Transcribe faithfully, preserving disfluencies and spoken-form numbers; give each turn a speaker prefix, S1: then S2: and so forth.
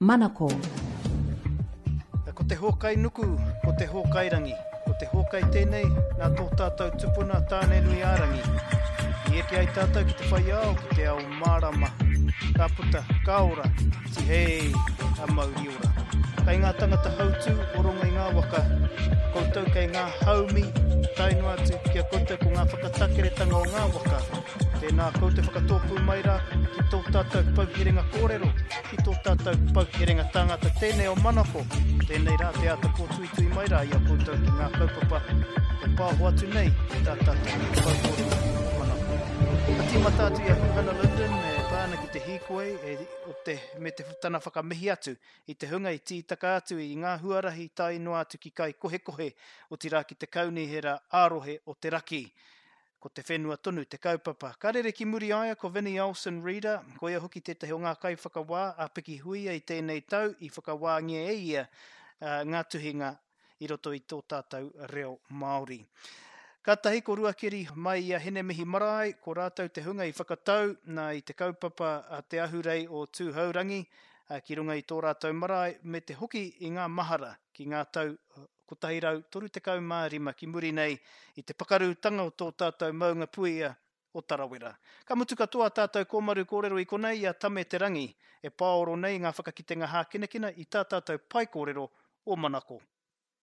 S1: Manako.
S2: Ko te hōkai nuku, ko te hōkai rangi. Ko te hōkai tēnei nā tō tātou tupuna Tāne-nui-ā-rangi. I eke ai tātou ki te whai ao, ki te ao mārama. Ka puta, ka ora, tihei, a mauri ora. Kei ngā tangata hautū o rongo i ngā waka, koutou kei ngā haumi, tae noa atu ki a koutou ko ngā whakatakeretanga o ngā waka. Tēnā koutou whakatōpū mai rā ki tō tātou pouherenga kōrero, ki tō tātou pouherenga tāngata tēnei o Manako. Tēnei rā te āta kōtuitui mai rā i a koutou ki ngā kaupapa e pāho atu nei i tā tātou taupori Manako. Ka tīmata atu i a Huhana Lyndon e pā ana ki te hīkoi e, o te, me te tana whakamihi atu i te hunga i tītaka atu i ngā huarahi tae noa atu ki Kaikohekohe, otirā ki te kaunihera ā-rohe o te raki. Ko te whenua tonu te kaupapa. Ka rere ki muri aia ko Vinnie Olsen Reeder, ko ia hoki tētahi o ngā kaiwhakawā a Pikihuia i tēnei tau i whakawāngia e ia uh, ngā tuhinga i roto i tō tātou reo Māori. Kātahi ko Ruakeri mai i a Hinemihi Marae, ko rātou te hunga i whakatau nā i te kaupapa a te ahurei o Tūhourangi ki runga i tō rātou marae me te hoki i ngā mahara ki ngā tau kotahi rau toru tekau mā rima ki muri nei i te pakarutanga o tō tātou maunga puia o Tarawera. Ka mutu katoa tātou kōmaru kōrero i konei i a Tame Te Rangi e pāoro nei ngā whakakitenga hākinakina i tā tātou pae kōrero o Manako.